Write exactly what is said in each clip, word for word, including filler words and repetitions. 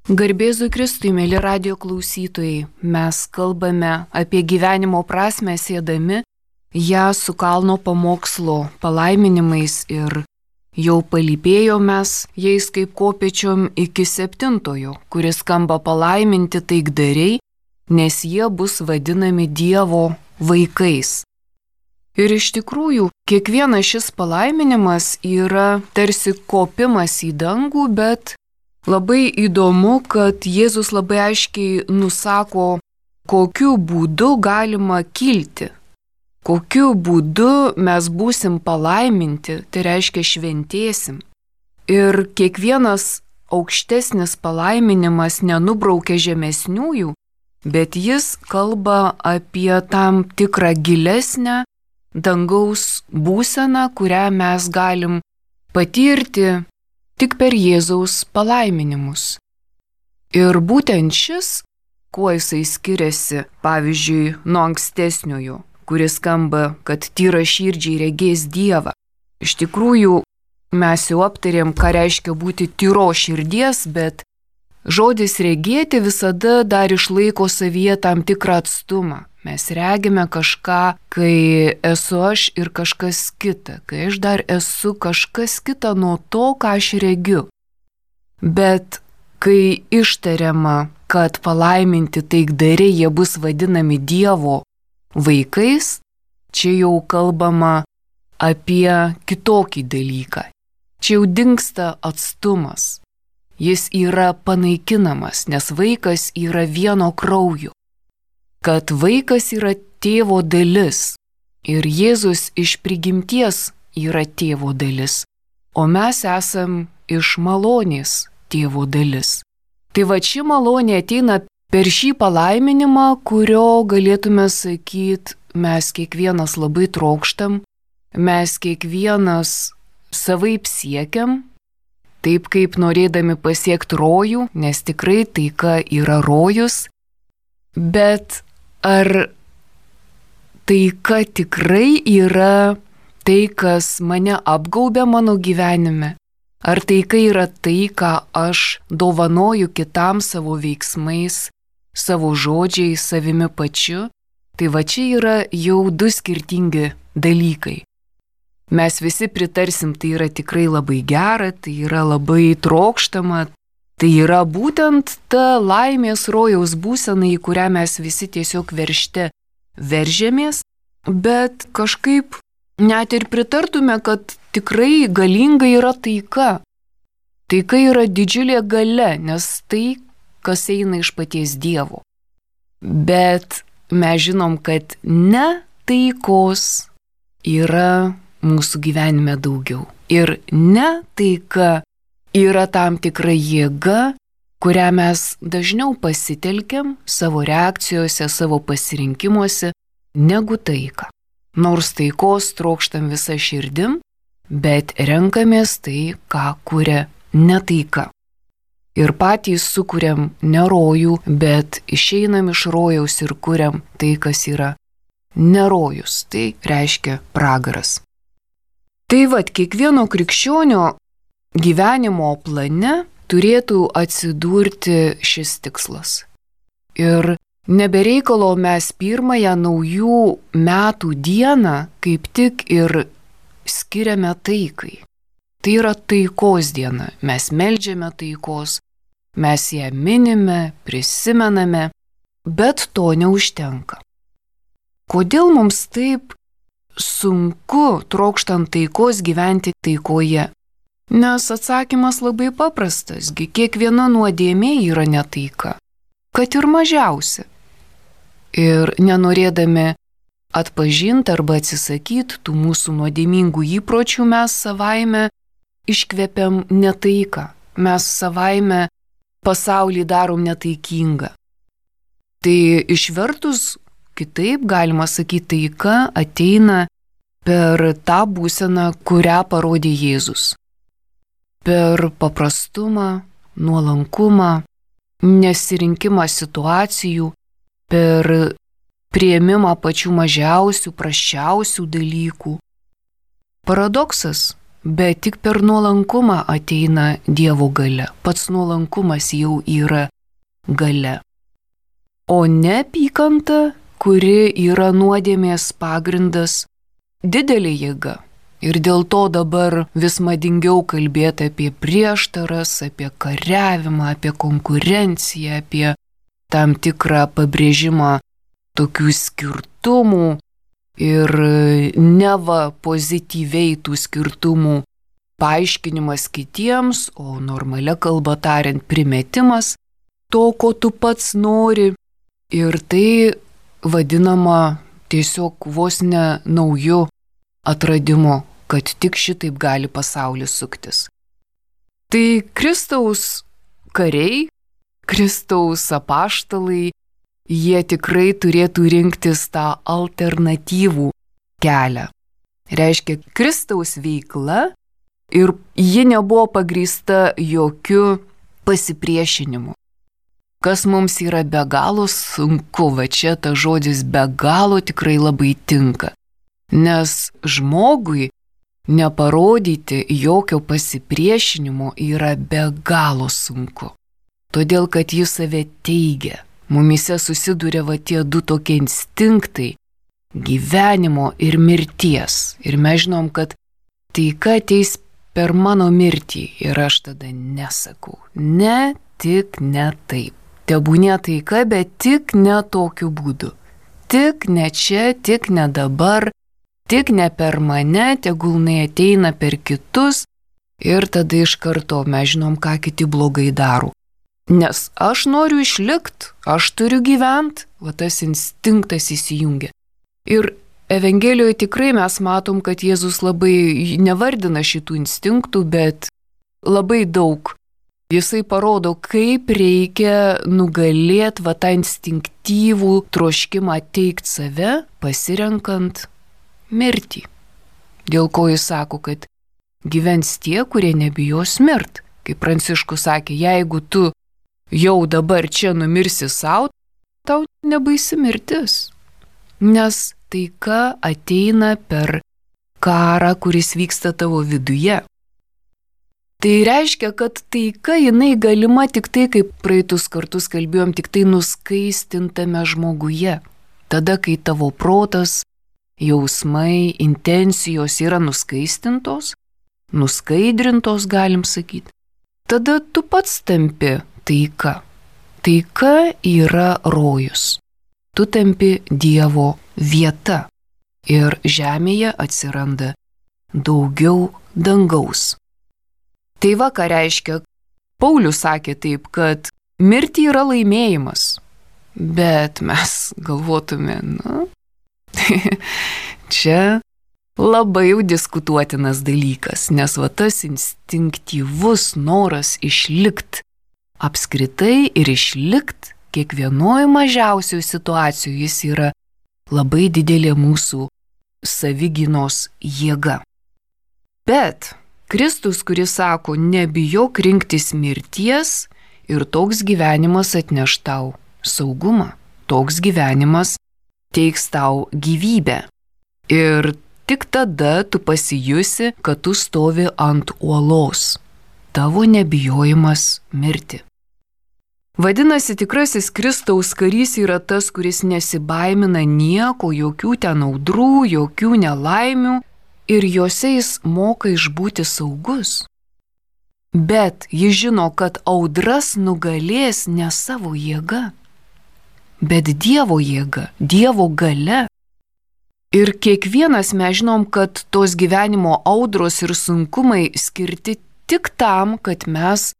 Garbėzui Kristui, mėly radijo klausytojai, mes kalbame apie gyvenimo prasmę siedami ją su kalno pamokslo palaiminimais ir jau palypėjo mes jais kaip kopėčiom iki septintojo, kuris skamba palaiminti taikdariai, nes jie bus vadinami Dievo vaikais. Ir iš tikrųjų, kiekvienas šis palaiminimas yra tarsi kopimas į dangų, bet labai įdomu, kad Jėzus labai aiškiai nusako, kokiu būdu galima kilti, kokiu būdu mes būsim palaiminti, tai reiškia šventėsim. Ir kiekvienas aukštesnis palaiminimas nenubraukia žemesniųjų, bet jis kalba apie tam tikrą gilesnę dangaus būseną, kurią mes galim patirti tik per Jėzaus palaiminimus. Ir būtent šis, kuo jisai skiriasi, pavyzdžiui, nuo ankstesniojo, kuris skamba, kad tyra širdžiai regės Dievą. Iš tikrųjų, mes jau aptarėm, ką reiškia būti tyro širdies, bet žodis regėti visada dar išlaiko savyje tam tikrą atstumą. Mes regime kažką, kai esu aš ir kažkas kita, kai aš dar esu kažkas kita nuo to, ką aš regiu. Bet kai ištariama, kad palaiminti taikdariai jie bus vadinami Dievo vaikais, čia jau kalbama apie kitokį dalyką. Čia jau dingsta atstumas. Jis yra panaikinamas, nes vaikas yra vieno kraujo. Kad vaikas yra tėvo dalis ir Jėzus iš prigimties yra tėvo dalis, o mes esam iš malonės tėvo dalis. Tai va ši malonė ateina per šį palaiminimą, kurio galėtume sakyti, mes kiekvienas labai trokštam, mes kiekvienas savaip siekiam, taip kaip norėdami pasiekti rojų, nes tikrai taika yra rojus, bet ar taika tikrai yra tai, kas mane apgaubia mano gyvenime? Ar taika yra tai, ką aš dovanoju kitam savo veiksmais, savo žodžiais, savimi pačiu? Tai va čia yra jau du skirtingi dalykai. Mes visi pritarsim, tai yra tikrai labai gera, tai yra labai trokštama. Tai yra būtent ta laimės rojaus būsena, į kurią mes visi tiesiog veržte veržėmės, bet kažkaip net ir pritartume, kad tikrai galinga yra taika. Taika yra didžiulė galia, nes tai, kas eina iš paties Dievo. Bet mes žinom, kad ne taikos yra mūsų gyvenime daugiau. Ir ne taika yra tam tikra jėga, kurią mes dažniau pasitelkiam savo reakcijose, savo pasirinkimuose, negu taiką. Nors taikos trokštam visą širdim, bet renkamės tai, ką kuria ne taika. Ir patys sukuriam ne rojų, bet išeinam iš rojaus ir kuriam tai, kas yra ne rojus, tai reiškia pragaras. Tai vat, kiekvieno krikščionio gyvenimo plane turėtų atsidurti šis tikslas. Ir nebereikalo mes pirmąją naujų metų dieną kaip tik ir skiriame taikai. Tai yra taikos diena. Mes meldžiame taikos, mes ją minime, prisimename, bet to neužtenka. Kodėl mums taip sunku trokštant taikos gyventi taikoje? Nes atsakymas labai paprastas, gi kiekviena nuodėmė yra netaika, kad ir mažiausia. Ir nenorėdami atpažinti arba atsisakyti tų mūsų nuodėmingų įpročių, mes savaime iškvepiam netaiką, mes savaime pasaulį darom netaikingą. Tai išvertus kitaip galima sakyti, taika ateina per tą būseną, kurią parodė Jėzus. Per paprastumą, nuolankumą, nesirinkimą situacijų, per priėmimą pačių mažiausių, prasčiausių dalykų. Paradoksas, bet tik per nuolankumą ateina Dievo galia. Pats nuolankumas jau yra galia. O neapykanta, kuri yra nuodėmės pagrindas, didelė jėga. Ir dėl to dabar vis madingiau kalbėti apie prieštaras, apie kariavimą, apie konkurenciją, apie tam tikrą pabrėžimą tokių skirtumų ir neva pozityviai tų skirtumų paaiškinimas kitiems, o normalia kalba tariant primetimas to, ko tu pats nori. Ir tai vadinama tiesiog vos ne nauju atradimu, kad tik šitaip gali pasaulis suktis. Tai Kristaus kariai, Kristaus apaštalai, jie tikrai turėtų rinktis tą alternatyvų kelią. Reiškia, Kristaus veikla ir ji nebuvo pagrįsta jokiu pasipriešinimu. Kas mums yra be galo sunku, va čia ta žodis be galo tikrai labai tinka. Nes žmogui neparodyti jokio pasipriešinimo yra be galo sunku. Todėl, kad jis save teigia. Mumise susiduria va tie du tokie instinktai – gyvenimo ir mirties. Ir mes žinom, kad taika ateis per mano mirtį. Ir aš tada nesakau. Ne, tik ne taip. Tebūnė taika, bet tik ne tokiu būdu. Tik ne čia, tik ne dabar, tik ne per mane, tegul neateina per kitus. Ir tada iš karto mes žinom, ką kiti blogai daro. Nes aš noriu išlikti, aš turiu gyventi, va tas instinktas įsijungia. Ir Evangelijoje tikrai mes matom, kad Jėzus labai nevardina šitų instinktų, bet labai daug. Jisai parodo, kaip reikia nugalėti va tą instinktyvų troškimą teikti save, pasirenkant mirtį. Dėl ko jis sako, kad gyvens tie, kurie nebijos mirt. Kaip Pranciškus sakė, jeigu tu jau dabar čia numirsi savo, tau nebaisi mirtis. Nes taika ateina per karą, kuris vyksta tavo viduje. Tai reiškia, kad taika jinai galima tik tai, kaip praeitus kartus kalbėjom, tik tai nuskaistintame žmoguje. Tada, kai tavo protas, jausmai, intencijos yra nuskaistintos, nuskaidrintos, galim sakyti, tada tu pats tampi taika. Taika yra rojus. Tu tampi Dievo vieta ir žemėje atsiranda daugiau dangaus. Tai va, ką reiškia, Paulius sakė taip, kad mirtį yra laimėjimas, bet mes galvotume, na, čia labai jau diskutuotinas dalykas, nes va tas instinktyvus noras išlikt apskritai ir išlikt kiekvienoje mažiausioje situacijoje jis yra labai didelė mūsų savigynos jėga. Bet Kristus, kuris sako, nebijok rinktis mirties ir toks gyvenimas atneš tau saugumą, toks gyvenimas teiks tau gyvybę. Ir tik tada tu pasijusi, kad tu stovi ant uolos. Tavo nebijojimas mirti. Vadinasi, tikrasis Kristaus karys yra tas, kuris nesibaimina nieko, jokių ten audrų, jokių nelaimių ir juose jis moka išbūti saugus. Bet jis žino, kad audras nugalės ne savo jėga, bet Dievo jėga, Dievo galia. Ir kiekvienas mes žinom, kad tos gyvenimo audros ir sunkumai skirti tik tam, kad mes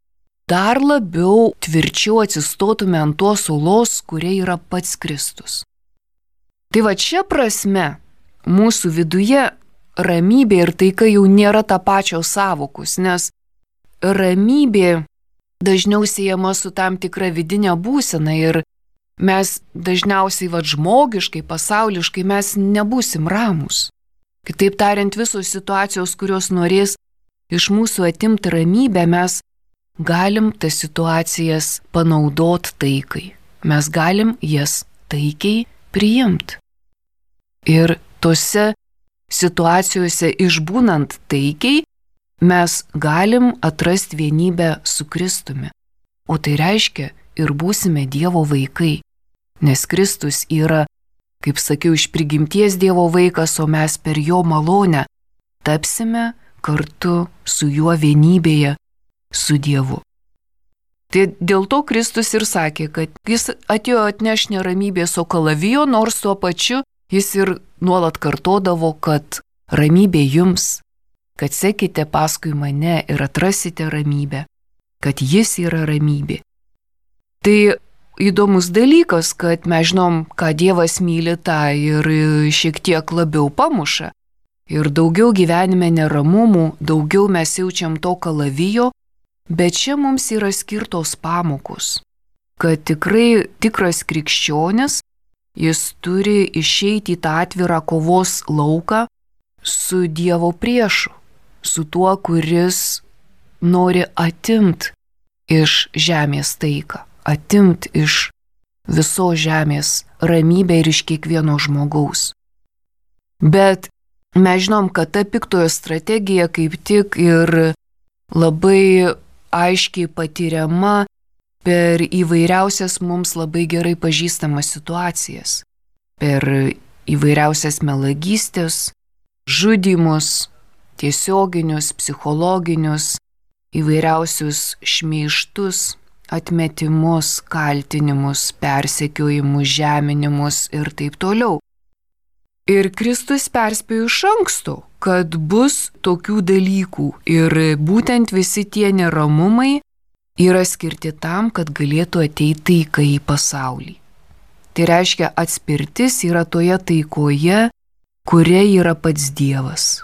dar labiau tvirčiau atsistotume ant tos uolos, kuria yra pats Kristus. Tai va čia prasme mūsų viduje ramybė ir taika jau nėra tą pačią sąvokus, nes ramybė dažniau siejama su tam tikra vidinė būsena ir mes dažniausiai va žmogiškai, pasauliškai mes nebūsim ramūs. Kitaip tariant, visos situacijos, kurios norės iš mūsų atimti ramybę, mes galim tas situacijas panaudot taikai. Mes galim jas taikiai priimti. Ir tose situacijose išbūnant taikiai, mes galim atrasti vienybę su Kristumi. O tai reiškia ir būsime Dievo vaikai. Nes Kristus yra, kaip sakiau, iš prigimties Dievo vaikas, o mes per jo malonę tapsime kartu su juo vienybėje su Dievu. Tai dėl to Kristus ir sakė, kad jis atėjo atneš neramybės, o kalavijo, nors tuo pačiu jis ir nuolat kartodavo, kad ramybė jums, kad sekite paskui mane ir atrasite ramybę, kad jis yra ramybė. Tai įdomus dalykas, kad mes žinom, ką Dievas myli, tą ir šiek tiek labiau pamuša. Ir daugiau gyvenime neramumų, daugiau mes jaučiam to kalavijo, bet čia mums yra skirtos pamokos, kad tikrai tikras krikščionis, jis turi išeiti į tą atvirą kovos lauką su Dievo priešu, su tuo, kuris nori atimt iš žemės taiką, atimt iš visos žemės ramybę ir iš kiekvieno žmogaus. Bet mes žinom, kad ta piktojo strategija kaip tik ir labai aiškiai patiriama per įvairiausias mums labai gerai pažįstamas situacijas, per įvairiausias melagystės, žudymus, tiesioginius, psichologinius, įvairiausius šmeižtus, atmetimus, kaltinimus, persekiojimus, žeminimus ir taip toliau. Ir Kristus perspėjo iš anksto, kad bus tokių dalykų ir būtent visi tie neramumai yra skirti tam, kad galėtų ateiti taika į pasaulį. Tai reiškia, atspirtis yra toje taikoje, kuria yra pats Dievas.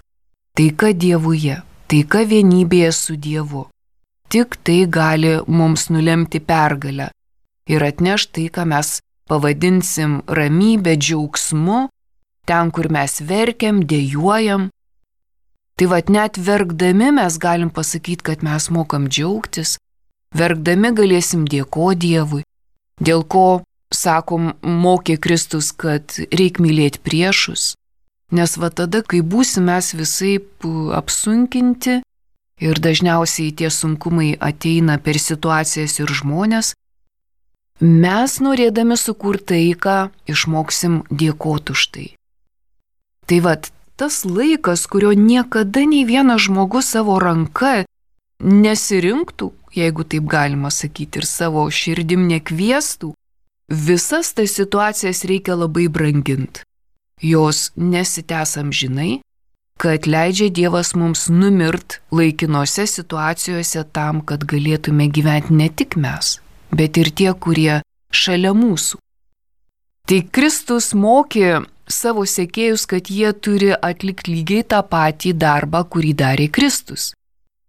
Taika Dievuje, taika vienybėje su Dievu. Tik tai gali mums nulemti pergalę ir atneš tai, ką mes pavadinsim ramybę, džiaugsmu, ten, kur mes verkiam, dejuojam. Tai vat net verkdami mes galim pasakyti, kad mes mokam džiaugtis, verkdami galėsim dėkoti Dievui, dėl ko, sakom, mokė Kristus, kad reik mylėti priešus, nes va tada, kai būsim mes visaip apsunkinti ir dažniausiai tie sunkumai ateina per situacijas ir žmonės, mes norėdami sukurti taiką išmoksim dėkoti už tai. Tai vat, tas laikas, kurio niekada nei vienas žmogus savo ranka nesirinktų, jeigu taip galima sakyti, ir savo širdim nekviestų, visas tas situacijas reikia labai branginti. Jos nesitęs amžinai, kad leidžia Dievas mums numirt laikinose situacijose tam, kad galėtume gyventi ne tik mes, bet ir tie, kurie šalia mūsų. Tai Kristus mokė savo sekėjus, kad jie turi atlikti lygiai tą patį darbą, kurį darė Kristus.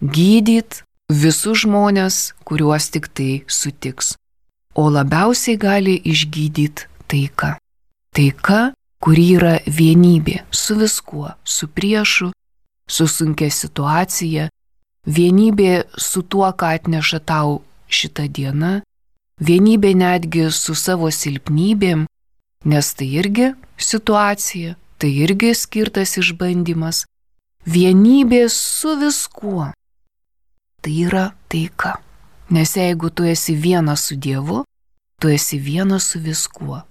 Gydyt visus žmonės, kuriuos tik tai sutiks. O labiausiai gali išgydyti taika. Taika, kuri yra vienybė su viskuo, su priešu, su sunkia situacija, vienybė su tuo, ką atneša tau šitą dieną, vienybė netgi su savo silpnybėm, nes tai irgi situacija, tai irgi skirtas išbandymas. Vienybė su viskuo. Tai yra taika. Nes jeigu tu esi vienas su Dievu, tu esi vienas su viskuo.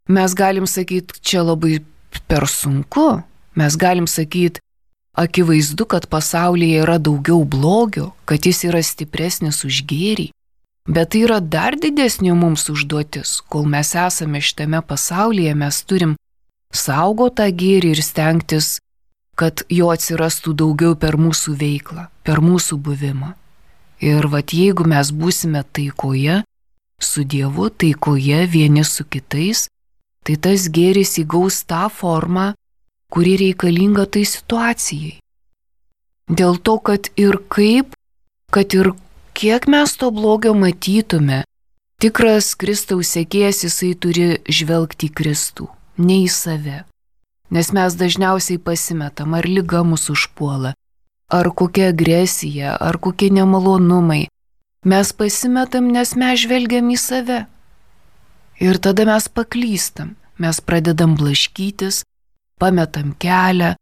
Mes galim sakyti, čia labai per sunku. Mes galim sakyti, akivaizdu, kad pasaulyje yra daugiau blogio, kad jis yra stipresnis už gėrį. Bet tai yra dar didesnė mums užduotis. Kol mes esame šitame pasaulyje, mes turim saugoti tą gėrį ir stengtis, kad jo atsirastų daugiau per mūsų veiklą, per mūsų buvimą. Ir vat jeigu mes būsime taikoje, su Dievu, taikoje vieni su kitais, tai tas gėris įgaus tą formą, kuri reikalinga tai situacijai. Dėl to, kad ir kaip, kad ir kiek mes to blogio matytume, tikras Kristaus sekėjas jisai turi žvelgti į Kristų, ne į save. Nes mes dažniausiai pasimetam, ar liga mus užpuola, ar kokia agresija, ar kokie nemalonumai. Mes pasimetam, nes mes žvelgiam į save. Ir tada mes paklystam, mes pradedam blaškytis, pametam kelią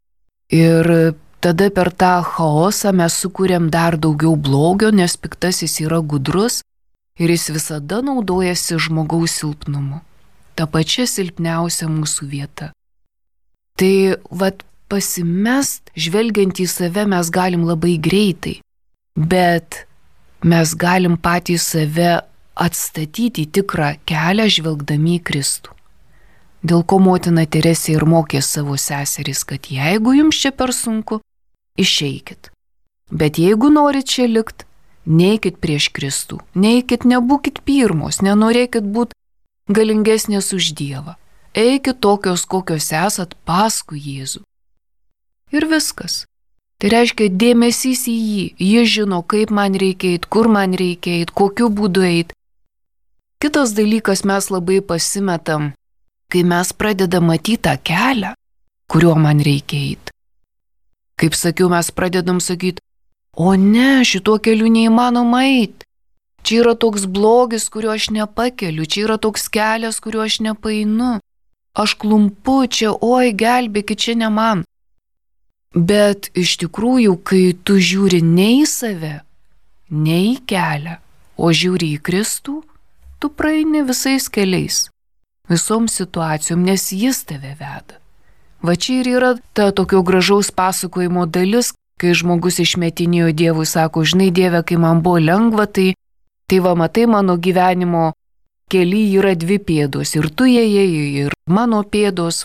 ir tada per tą chaosą mes sukūrėm dar daugiau blogio, nes piktasis yra gudrus ir jis visada naudojasi žmogaus silpnumu. Ta pačia silpniausia mūsų vieta. Tai vat pasimest, žvelgiant į save mes galim labai greitai, bet mes galim patys save atstatyti į tikrą kelią žvelgdami į Kristų. Dėl ko motina Teresė ir mokė savo seseris, kad jeigu jums čia per sunku, išeikit. Bet jeigu norit čia likt, neikit prieš Kristų, neikit, nebūkit pirmos, nenorėkit būti galingesnės už Dievą. Eikit tokios, kokios esat paskui Jėzų. Ir viskas. Tai reiškia dėmesys į jį. Jis žino, kaip man reikia eit, kur man reikia eit, kokiu būdu eit. Kitas dalykas, mes labai pasimetam, kai mes pradedam matyti tą kelią, kuriuo man reikia eit. Kaip sakiau, mes pradedam sakyti, o ne, šituo keliu neįmanoma eit. Čia yra toks blogis, kurio aš nepakeliu, čia yra toks kelias, kuriuo aš nepaeinu. Aš klumpu čia, oi, gelbėkit, čia ne man. Bet iš tikrųjų, kai tu žiūri ne į save, ne į kelią, o žiūri į Kristų, tu praeini visais keliais, visom situacijom, nes jis tave veda. Va čia ir yra ta tokio gražaus pasakojimo dalis, kai žmogus išmetinėjo Dievui, sako, žinai Dieve, kai man buvo lengva, tai, tai va matai mano gyvenimo kely yra dvi pėdos, ir tu ėjai, ir mano pėdos,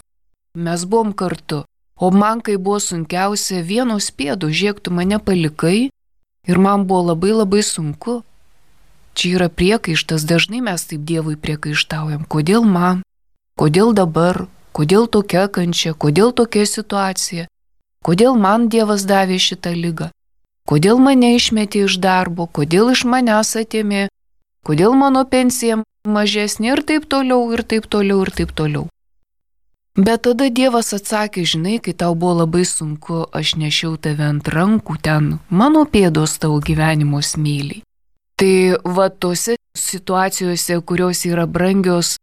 mes buvom kartu. O man, kai buvo sunkiausia, vienos pėdos, žiūrėk, tu mane palikai ir man buvo labai labai sunku. Čia yra priekaištas, dažnai mes taip Dievui priekaištaujam. Kodėl man? Kodėl dabar? Kodėl tokia kančia? Kodėl tokia situacija? Kodėl man Dievas davė šitą ligą? Kodėl mane išmetė iš darbo? Kodėl iš manęs atėmė? Kodėl mano pensija mažesnė ir taip toliau, ir taip toliau, ir taip toliau. Bet tada Dievas atsakė, žinai, kai tau buvo labai sunku, aš nešiau tave ant rankų, ten mano pėdos tavo gyvenimo smėliai. Tai va tose situacijose, kurios yra brangios,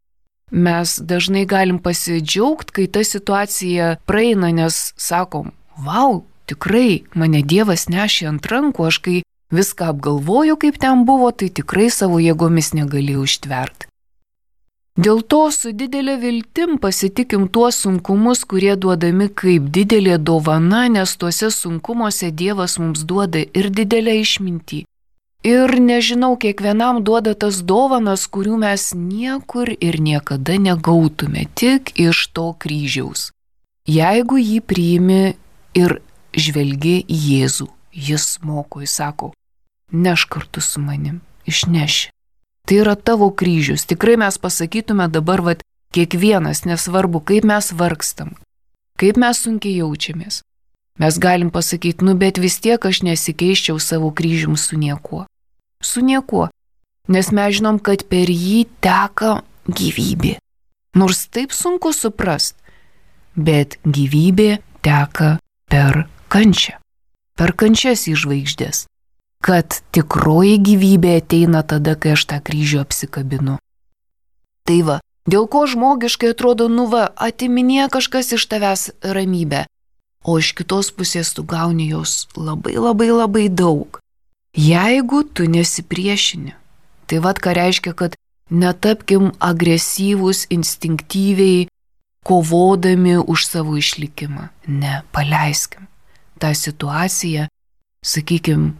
mes dažnai galim pasidžiaugti, kai ta situacija praeina, nes sakom, vau, tikrai mane Dievas nešė ant rankų, aš kai viską apgalvoju, kaip ten buvo, tai tikrai savo jėgomis negalėjau ištverti. Dėl to su didelė viltim pasitikim tuos sunkumus, kurie duodami kaip didelė dovana, nes tuose sunkumuose Dievas mums duoda ir didelę išmintį. Ir nežinau, kiekvienam duoda tas dovanas, kurių mes niekur ir niekada negautume, tik iš to kryžiaus. Jeigu jį priimi ir žvelgi į Jėzų, jis moko, jis sako, neš kartu su manim, išneši. Tai yra tavo kryžius. Tikrai mes pasakytume dabar, vat, kiekvienas, nesvarbu, kaip mes vargstam, kaip mes sunkiai jaučiamės. Mes galim pasakyti, nu bet vis tiek aš nesikeiščiau savo kryžium su niekuo. Su niekuo. Nes mes žinom, kad per jį teka gyvybė. Nors taip sunku suprast, bet gyvybė teka per kančią. Per kančias į žvaigždės. Kad tikroji gyvybė ateina tada, kai aš tą kryžių apsikabinu. Tai va, dėl ko žmogiškai atrodo, nu va, atiminė kažkas iš tavęs ramybę, o iš kitos pusės tu gauni jos labai labai labai daug. Jeigu tu nesipriešini, tai va, ką reiškia, kad netapkim agresyvūs, instinktyviai, kovodami už savo išlikimą. Ne, paleiskim tą situaciją, sakykim,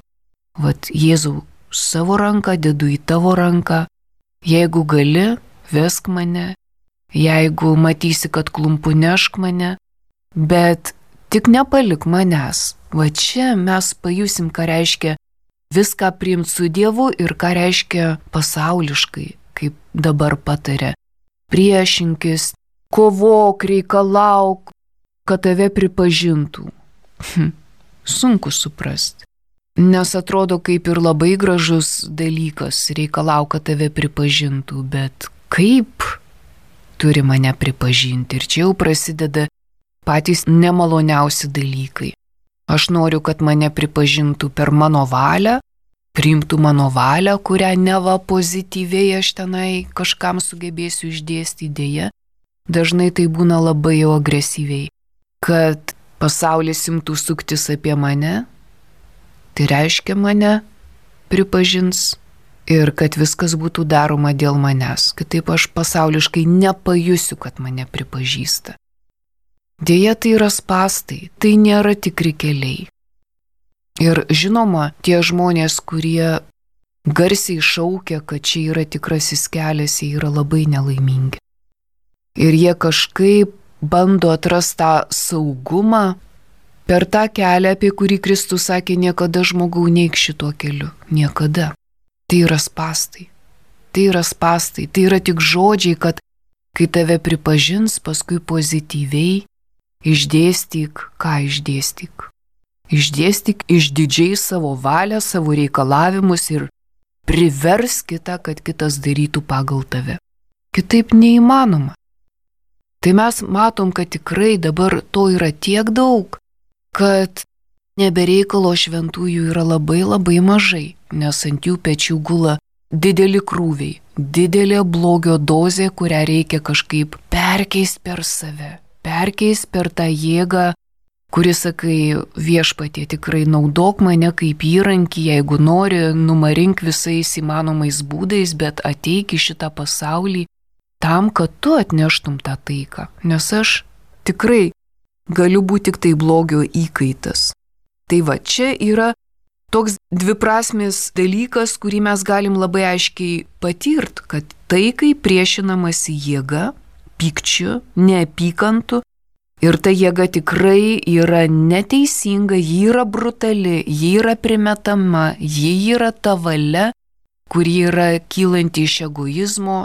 vat Jėzau, savo ranką dedu į tavo ranką, jeigu gali, vesk mane, jeigu matysi, kad klumpu, nešk mane, bet tik nepalik manęs. Va čia mes pajusim, ką reiškia viską priimti su Dievu ir ką reiškia pasauliškai, kaip dabar pataria. Priešinkis, kovok, reikalauk, kad tave pripažintų. Hm, sunku suprasti. Nes atrodo kaip ir labai gražus dalykas, reikalauk, kad tave pripažintų, bet kaip turi mane pripažinti? Ir čia jau prasideda patys nemaloniausi dalykai. Aš noriu, kad mane pripažintų per mano valią, priimtų mano valią, kurią neva pozityviai aš tenai kažkam sugebėsiu išdėstyti, dėja. Dažnai tai būna labai jau agresyviai. Kad pasaulis imtų suktis apie mane, tai reiškia mane pripažins ir kad viskas būtų daroma dėl manęs. Kitaip aš pasauliškai nepajusiu, kad mane pripažįsta. Deja, tai yra spąstai, tai nėra tikri keliai. Ir žinoma, tie žmonės, kurie garsiai šaukia, kad čia yra tikrasis kelias, jie yra labai nelaimingi. Ir jie kažkaip bando atrasti tą saugumą per tą kelią, apie kurį Kristus sakė, niekada žmogau neik šituo keliu. Niekada. Tai yra spąstai. Tai yra spąstai. Tai yra tik žodžiai, kad kai tave pripažins, paskui pozityviai išdėstyk, ką išdėstyk. Išdėstyk išdidžiai savo valią, savo reikalavimus ir privers kitą, kad kitas darytų pagal tave. Kitaip neįmanoma. Tai mes matom, kad tikrai dabar to yra tiek daug, kad nebereikalo šventųjų yra labai labai mažai, nes ant jų pečių gula dideli krūviai, didelė blogio dozė, kurią reikia kažkaip perkeist per save, perkeist per tą jėgą, kuris, sakai, viešpatie, tikrai naudok mane kaip įrankį, jeigu nori, numarink visais įmanomais būdais, bet ateik į šitą pasaulį tam, kad tu atneštum tą taiką, nes aš tikrai galiu būti tik tai blogio įkaitas. Tai va, čia yra toks dviprasmis dalykas, kurį mes galim labai aiškiai patirt, kad taikai priešinamasi jėga, pykčiu, neapykantu, ir ta jėga tikrai yra neteisinga, ji yra brutali, ji yra primetama, ji yra ta valia, kuri yra kylanti iš egoizmo,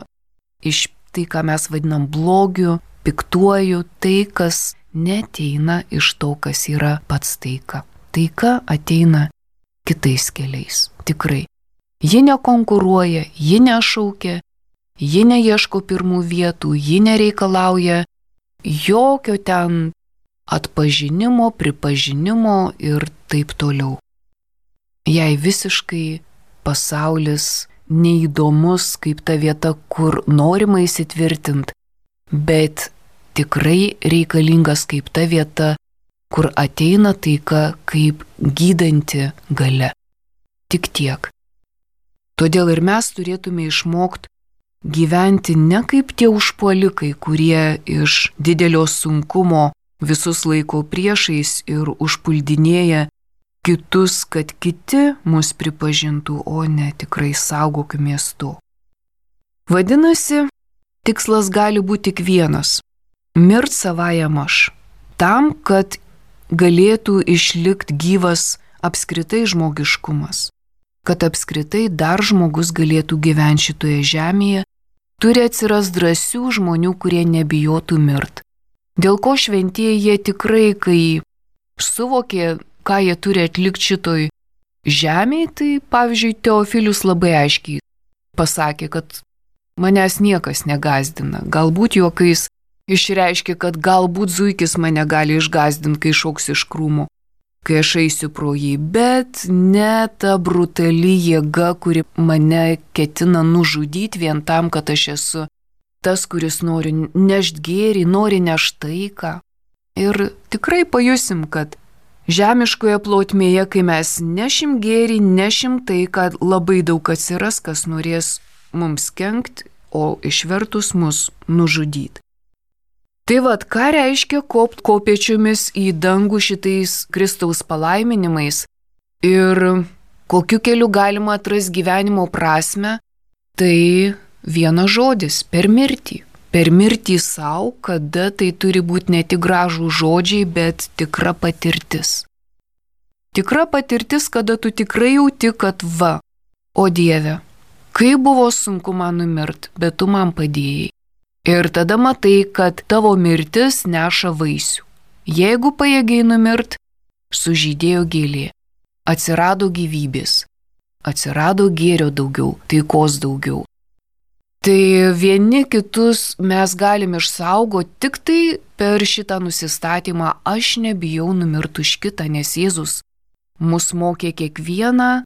iš tai, ką mes vadinam blogiu, piktuoju, tai, kas neateina iš to, kas yra pats taika. Taika ateina kitais keliais, tikrai. Ji nekonkuruoja, ji nešaukia, ji neieško pirmų vietų, ji nereikalauja jokio ten atpažinimo, pripažinimo ir taip toliau. Jai visiškai pasaulis neįdomus kaip ta vieta, kur norima įsitvirtinti, bet tikrai reikalingas kaip ta vieta, kur ateina taika kaip gydanti galia. Tik tiek. Todėl ir mes turėtume išmokti gyventi ne kaip tie užpuolikai, kurie iš didelio sunkumo visus laiko priešais ir užpuldinėja kitus, kad kiti mus pripažintų, o ne tikrai saugokimės to. Vadinasi, tikslas gali būti tik vienas – mirt savajam aš, tam, kad galėtų išlikti gyvas apskritai žmogiškumas, kad apskritai dar žmogus galėtų gyventi šitoje žemėje, turi atsiras drąsių žmonių, kurie nebijotų mirt. Dėl ko šventieji jie tikrai, kai suvokė, ką jie turi atlikti šitoj žemėje, tai pavyzdžiui Teofilius labai aiškiai pasakė, kad manęs niekas negazdina, galbūt juokais išreiškė, kad galbūt zuikis mane gali išgazdinti, kai šauks iš krūmų, kai aš eisiu pro jį, bet ne ta brutali jėga, kuri mane ketina nužudyti vien tam, kad aš esu tas, kuris nori nešti gėrį, nori nešti taiką. Ir tikrai pajusim, kad žemiškoje plotmėje, kai mes nešim gėrį, nešim taiką, labai daug atsiras, kas norės mums kenkt, o išvertus mus nužudyti. Tai vad, ką reiškia kopt kopėčiomis į dangų šitais Kristaus palaiminimais ir kokiu keliu galima atrasti gyvenimo prasme, tai vienas žodis – per mirtį. Per mirtį savo, kada tai turi būti ne tik gražų žodžiai, bet tikra patirtis. Tikra patirtis, kada tu tikrai jauti, kad va, o Dieve, kaip buvo sunku man numirt, bet tu man padėjai. Ir tada matai, kad tavo mirtis neša vaisių. Jeigu pajėgiai numirt, sužydėjo gėlė, atsirado gyvybės, atsirado gėrio daugiau, taikos daugiau. Tai vieni kitus mes galim išsaugoti tik tai per šitą nusistatymą, aš nebijau numirti už kitą, nes Jėzus mus mokė kiekvieną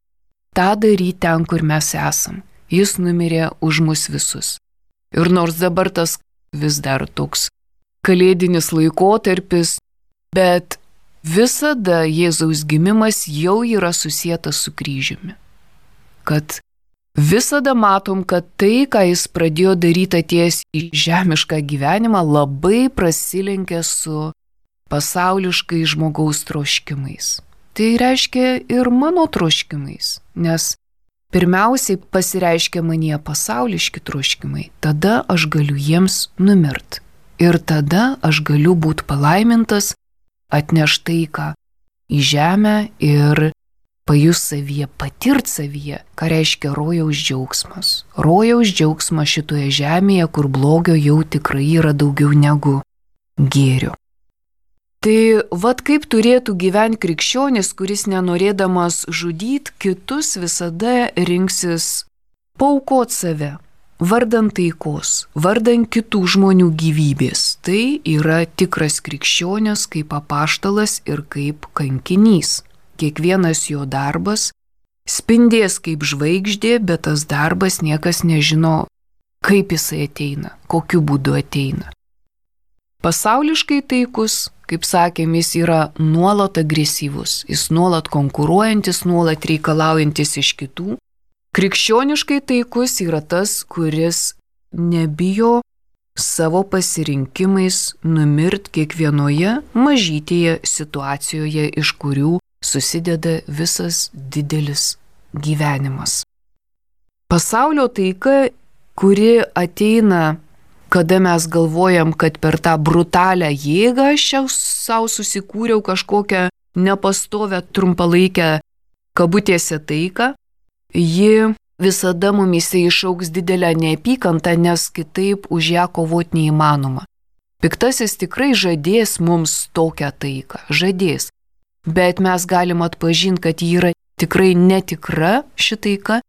tą daryti ten, kur mes esam. Jis numirė už mus visus. Ir nors dabar tas vis dar toks kalėdinis laikotarpis, bet visada Jėzaus gimimas jau yra susietas su kryžiumi. Kad visada matom, kad tai, ką jis pradėjo daryti atėjęs į žemišką gyvenimą, labai prasilenkia su pasauliškai žmogaus troškimais. Tai reiškia ir mano troškimais, nes pirmiausiai pasireiškia manyje pasauliški troškimai, tada aš galiu jiems numirt. Ir tada aš galiu būti palaimintas, atnešt taiką į žemę ir pajus savyje, patirt savyje, ką reiškia rojaus džiaugsmas. Rojaus džiaugsmas šitoje žemėje, kur blogio jau tikrai yra daugiau negu gėrio. Tai vat kaip turėtų gyventi krikščionis, kuris nenorėdamas žudyti kitus visada rinksis paaukot save, vardan taikos, vardan kitų žmonių gyvybės. Tai yra tikras krikščionis kaip apaštalas ir kaip kankinys. Kiekvienas jo darbas spindės kaip žvaigždė, bet tas darbas niekas nežino, kaip jisai ateina, kokiu būdu ateina. Pasauliškai taikus, kaip sakėm, jis yra nuolat agresyvus, jis nuolat konkuruojantis, nuolat reikalaujantis iš kitų. Krikščioniškai taikus yra tas, kuris nebijo savo pasirinkimais numirt kiekvienoje mažytėje situacijoje, iš kurių susideda visas didelis gyvenimas. Pasaulio taika, kuri ateina, kada mes galvojam, kad per tą brutalią jėgą aš jau savo susikūriau kažkokią nepastovę trumpalaikę kabutėse taiką, ji visada mumise išaugs didelę neapykantą, nes kitaip už ją kovoti neįmanoma. Piktasis tikrai žadės mums tokią taiką, žadės, bet mes galim atpažinti, kad ji yra tikrai netikra ši taika,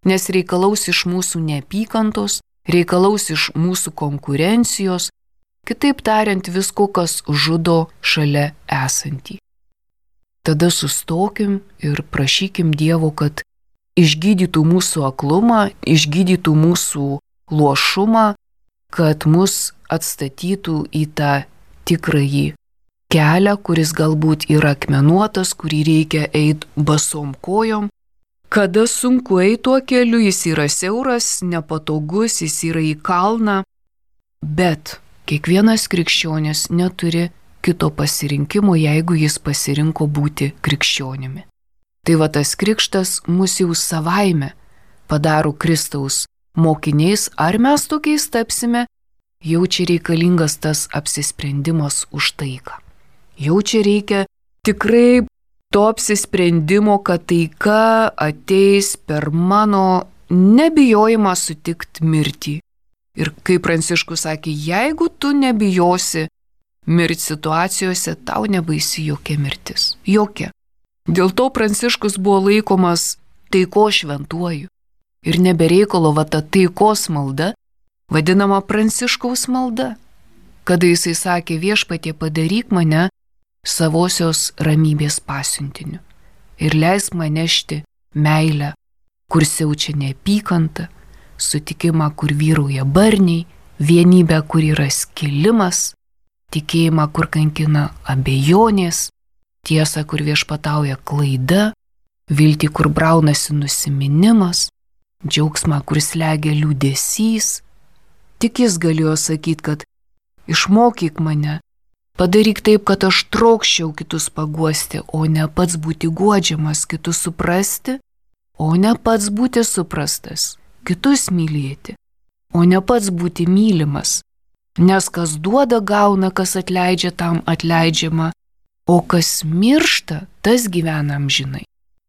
nes reikalaus iš mūsų neapykantos, reikalaus iš mūsų konkurencijos, kitaip tariant visko, kas žudo šalia esantį. Tada sustokim ir prašykim Dievo, kad išgydytų mūsų aklumą, išgydytų mūsų luošumą, kad mus atstatytų į tą tikrąjį kelią, kuris galbūt yra akmenuotas, kurį reikia eiti basom kojom. Kada sunku eiti tuo keliu, jis yra siauras, nepatogus, jis yra į kalną, bet kiekvienas krikščionis neturi kito pasirinkimo, jeigu jis pasirinko būti krikščionimi. Tai va tas krikštas mus jau savaime padaro Kristaus mokiniais, ar mes tokiais tapsime, jau čia reikalingas tas apsisprendimas už taiką. Jau čia reikia tikrai to apsisprendimo, kad taika ateis per mano nebijojimą sutikti mirtį. Ir kaip Pranciškus sakė, jeigu tu nebijosi mirti situacijose, tau nebaisi jokia mirtis. Jokia. Dėl to Pranciškus buvo laikomas taiko šventuoju. Ir nebereikalo va ta taikos malda, vadinama Pranciškaus malda. Kada jisai sakė, Viešpatie, padaryk mane savosios ramybės pasiuntiniu ir leisk man nešti meilę, kur siaučia neapykanta, sutikimą, kur vyrauja barniai, vienybę, kur yra skilimas, tikėjimą, kur kankina abejonės, tiesą, kur viešpatauja klaida, viltį, kur braunasi nusiminimas, džiaugsmą, kur slegia liūdesys. Tik jis galėjo sakyti, kad išmokyk mane, padaryk taip, kad aš trokščiau kitus paguosti, o ne pats būti guodžiamas, kitus suprasti, o ne pats būti suprastas, kitus mylėti, o ne pats būti mylimas. Nes kas duoda, gauna, kas atleidžia, tam atleidžiama, o kas miršta, tas gyvena amžinai.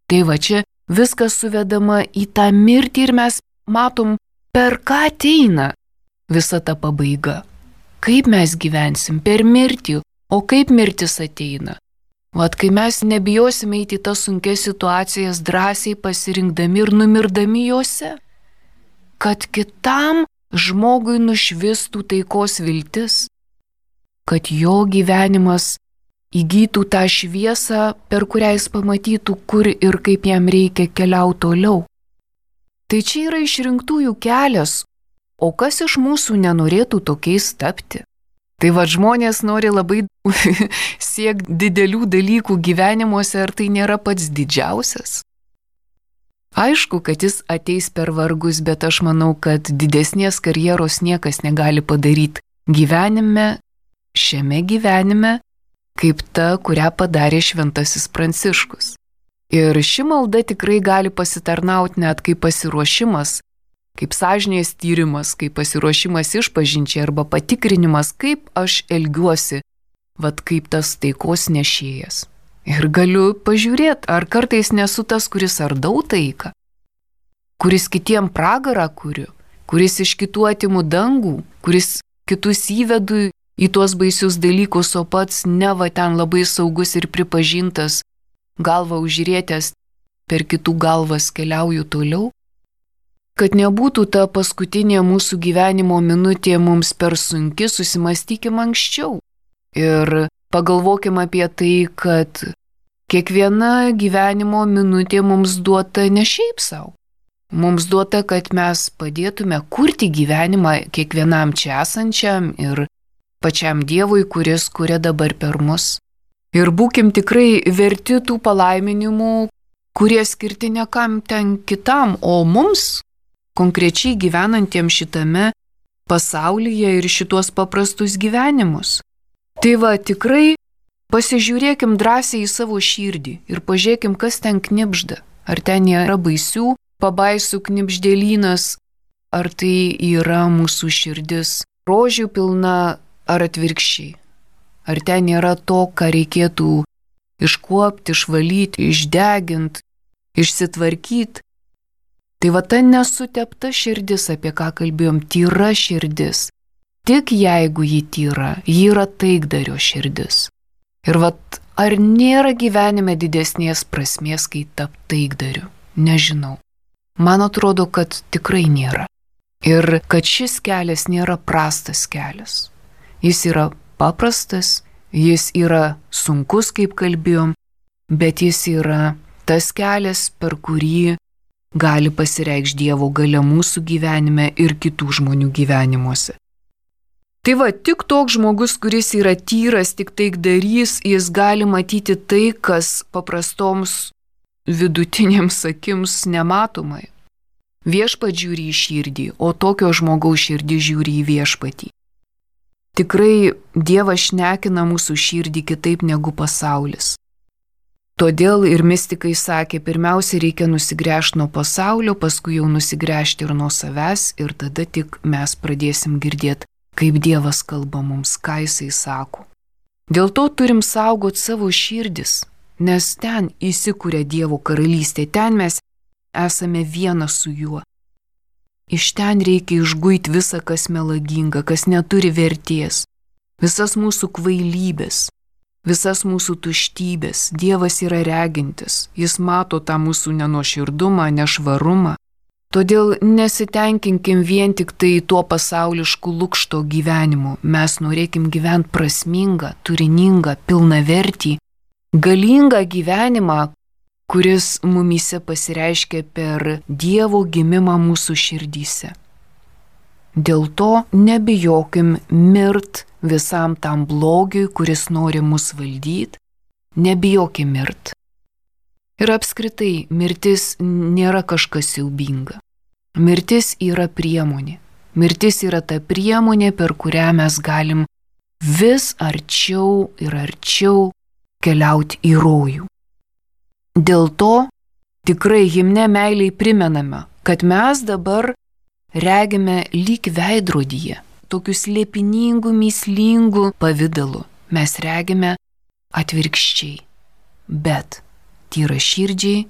Tai va čia viskas suvedama į tą mirtį ir mes matom, per ką ateina visa ta pabaiga. Kaip mes gyvensim per mirtį, o kaip mirtis ateina. Vat kai mes nebijosime eiti į tas sunkias situacijas drąsiai pasirinkdami ir numirdami juose, kad kitam žmogui nušvistų taikos viltis, kad jo gyvenimas įgytų tą šviesą, per kurią jis pamatytų, kur ir kaip jam reikia keliauti toliau. Tai čia yra išrinktųjų kelias, o kas iš mūsų nenorėtų tokiais tapti? Tai va, žmonės nori labai siekti didelių dalykų gyvenimuose, ar tai nėra pats didžiausias? Aišku, kad jis ateis per vargus, bet aš manau, kad didesnės karjeros niekas negali padaryti gyvenime, šiame gyvenime, kaip ta, kurią padarė šventasis Pranciškus. Ir ši malda tikrai gali pasitarnauti net kaip pasiruošimas, kaip sąžinės tyrimas, kaip pasiruošimas išpažinčiai arba patikrinimas, kaip aš elgiuosi, vat kaip tas taikos nešėjas. Ir galiu pažiūrėti, ar kartais nesu tas, kuris ardau taiką, kuris kitiem pragarą kuriu, kuris iš kitų atimu dangų, kuris kitus įvedu į tuos baisius dalykus, o pats neva ten labai saugus ir pripažintas, galvą užrietęs, per kitų galvas keliauju toliau. Kad nebūtų ta paskutinė mūsų gyvenimo minutė mums per sunki, susimastykim anksčiau. Ir pagalvokim apie tai, kad kiekviena gyvenimo minutė mums duota ne šiaip savo. Mums duota, kad mes padėtume kurti gyvenimą kiekvienam čia esančiam ir pačiam Dievui, kuris kuria dabar per mus. Ir būkim tikrai verti tų palaiminimų, kurie skirti ne kam ten kitam, o mums, konkrečiai gyvenantiems šitame pasaulyje ir šitos paprastus gyvenimus. Tai va, tikrai pasižiūrėkim drąsiai į savo širdį ir pažiūrėkim, kas ten knibžda. Ar ten nėra baisių pabaisų knibždėlynas, ar tai yra mūsų širdis rožių pilna, ar atvirkščiai. Ar ten nėra to, ką reikėtų iškuopti, išvalyti, išdeginti, išsitvarkyti. Tai va ta nesutepta širdis, apie ką kalbėjom, tyra širdis. Tik jeigu ji tyra, ji yra taikdario širdis. Ir va, ar nėra gyvenime didesnės prasmės, kai tap taikdariu? Nežinau. Man atrodo, kad tikrai nėra. Ir kad šis kelias nėra prastas kelias. Jis yra paprastas, jis yra sunkus, kaip kalbėjom, bet jis yra tas kelias, per kurį gali pasireikšti Dievo galia mūsų gyvenime ir kitų žmonių gyvenimuose. Tai va, tik toks žmogus, kuris yra tyras, tik taikdarys, jis gali matyti tai, kas paprastoms vidutinėms akims nematomai. Viešpats žiūri į širdį, o tokio žmogaus širdį žiūri į viešpatį. Tikrai Dievas šnekina mūsų širdį kitaip negu pasaulis. Todėl ir mistikai sakė, pirmiausia reikia nusigręžti nuo pasaulio, paskui jau nusigręžti ir nuo savęs ir tada tik mes pradėsim girdėti, kaip Dievas kalba mums, ką Jisai sako. Dėl to turim saugoti savo širdis, nes ten įsikūrė Dievo karalystė, ten mes esame vienas su Juo. Iš ten reikia išguiti visą, kas melaginga, kas neturi vertės, visas mūsų kvailybės, visas mūsų tuštybės. Dievas yra regintis, jis mato tą mūsų nenuoširdumą, nešvarumą. Todėl nesitenkinkim vien tik tai tuo pasaulišku lukšto gyvenimu. Mes norėkim gyventi prasmingą, turiningą, pilnavertį, galingą gyvenimą, kuris mumyse pasireiškia per Dievo gimimą mūsų širdyse. Dėl to nebijokim mirt visam tam blogiui, kuris nori mus valdyti, nebijokim mirt. Ir apskritai, mirtis nėra kažkas siaubinga. Mirtis yra priemonė. Mirtis yra ta priemonė, per kurią mes galim vis arčiau ir arčiau keliauti į rojų. Dėl to tikrai himne meiliai primename, kad mes dabar regime lyg veidrodyje, tokius liepiningų, mįslingų pavidalų. Mes regime atvirkščiai, bet tyraširdžiai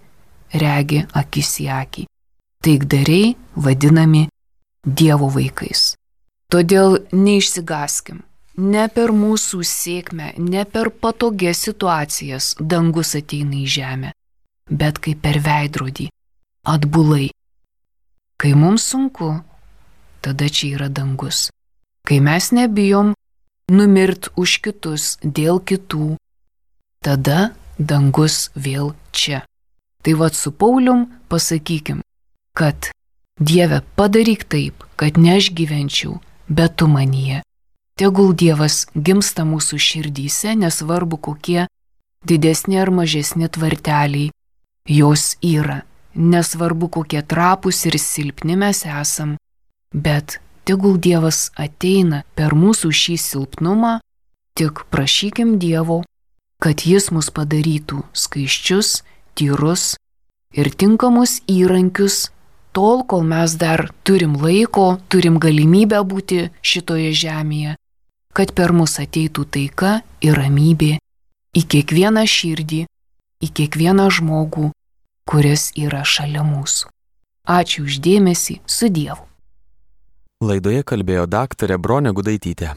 regi akis į akį. Taikdariai vadinami Dievo vaikais. Todėl neišsigaskim. Ne per mūsų sėkmę, ne per patogias situacijas dangus ateina į žemę, bet kaip per veidrodį, atbulai. Kai mums sunku, tada čia yra dangus. Kai mes nebijom numirt už kitus dėl kitų, tada dangus vėl čia. Tai vat su Paulium pasakykim, kad Dieve, padaryk taip, kad ne aš gyvenčiau, bet tu manyje. Tegul Dievas gimsta mūsų širdyse, nesvarbu kokie didesni ar mažesni tvarteliai jos yra, nesvarbu kokie trapūs ir silpni mes esam, bet tegul Dievas ateina per mūsų šį silpnumą, tik prašykim Dievo, kad Jis mus padarytų skaisčius, tyrus ir tinkamus įrankius, tol, kol mes dar turim laiko, turim galimybę būti šitoje žemėje, kad per mus ateitų taika ir ramybė į kiekvieną širdį, į kiekvieną žmogų, kuris yra šalia mūsų. Ačiū už dėmesį, su Dievu. Laidoje kalbėjo daktarė Bronė Gudaitytė.